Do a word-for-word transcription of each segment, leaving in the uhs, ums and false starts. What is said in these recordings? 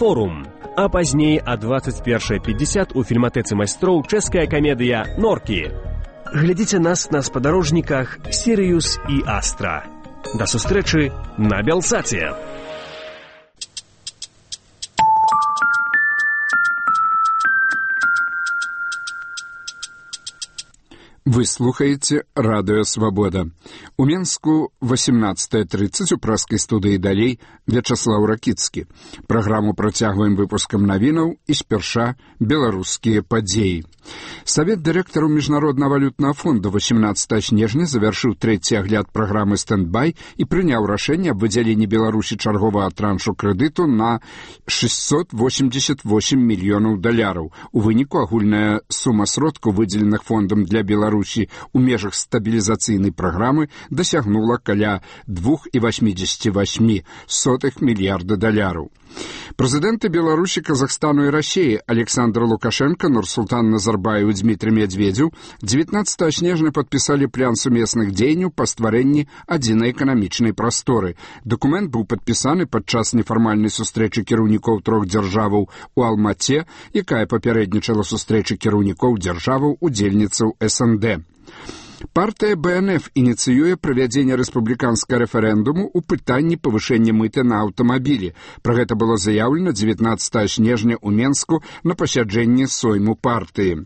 «Форум». А пазней а двадцать першая пятьдесят у фільматэцы майстроў чэшская камедыя «Норкі». Глядзіце нас на спадарожніках «Сірыюс» і «Астра». Да сустрэчы на Белсаце! Вы слухаеце радыё «Свабода». У Менску восемнадцатая тридцать у праскай студыі далей Вячаслаў Ракіцкі. Праграму працягваем выпускам навінаў і спярша беларускія падзеі. Савет дырэктараў Міжнароднага валютнага фонду восемнадцатага снежня завяршыў трэці агляд праграмы «Стэндбай» і прыняў рашэнне аб выдзяленні Беларусі чарговага траншу крэдыту на шестьсот восемьдесят восемь мільёнаў даляраў. У выніку агульная сума сродкаў, выдзеленых фондам для Беларусі у межах стабілізацыйнай праграмы, дасягнула каля двух і восьмідзесяці васьмі сотых мільярда даляраў. Прэзідэнты Беларусі, Казахстану і Расіі Александр Лукашенко, Нурсултан Назарбаев і Дмітрий Медведзеў дзевятнадцатага снежня падпісалі план сумесных дзеянняў па стварэнні адзінай эканамічнай прасторы. Дакумент быў падпісаны падчас нефармальнай сустрэчы кіраўнікоў трох дзяржаваў у Алмаце, якая папярэднічала сустрэчы кіраўнікоў дзяржаваў удзельніцаў эс эн дэ. Партыя бэ эн эф ініцыюе правядзенне рэспубліканскага рэферэндуму ў пытанні павышэння мыты на аўтамабілі. Пра гэта было заяўлена дзевятнадцатага снежня ў Менску на пасяджэнні сойму партыі.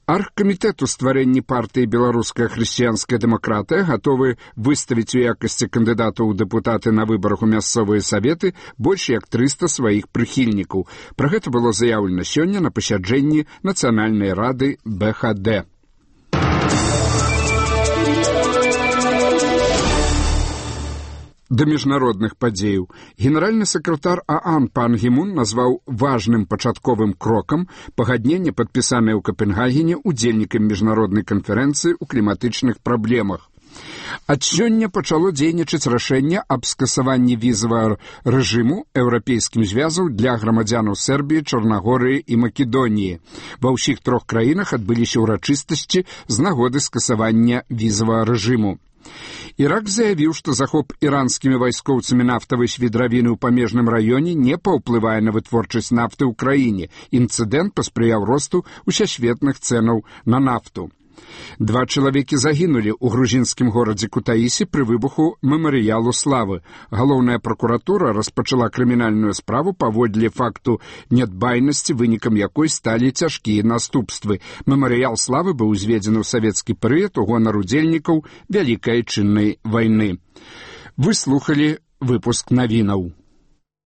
Аргкамітэт у стварэнні партыі «Беларуская хрысціянская дэмакратыя» гатовы выставіць у якасці кандыдатаў у дэпутаты на выбарах у мясцовыя саветы больш як трыста сваіх прыхільнікаў. Пра гэта было заяўлена сёння на пасяджэнні Нацыянальнай рады бэ ха дэ. Да міжнародных падзеяў. Генеральны сакратар ААН пан Гімун назваў важным пачатковым крокам пагадненне, падпісанае ў Капенгагене удзельнікам міжнароднай канферэнцыі ў кліматычных праблемах. Ад сёння пачало дзейнічаць рашэнне аб скасаванні візавага рэжыму еўрапейскім звязаў для грамадзянаў Сербіі, Чарнагорыі і Македоніі. Ва ўсіх трох краінах адбыліся ўрачыстасці з нагоды скасавання візавага рэжыму. Ірак заявіў, што захоп іранскімі вайскоўцамі нафтавай свідравіны ў памежным раёне не паўплывае на вытворчасць нафты ў краіне. Інцыдэнт паспрыяў росту усесветных цэнаў на нафту. Два чалавекі загінулі ў грузінскім горадзе Кутаісі пры выбуху мемарыялу славы. Галоўная пракуратура распачала крымінальную справу паводле факту нядбайнасці, вынікам якой сталі цяжкія наступствы. Мемарыял славы быў узведзены ў савецкі перыяд у гонар удзельнікаў Вялікай Айчыннай вайны. Вы слухалі выпуск навінаў.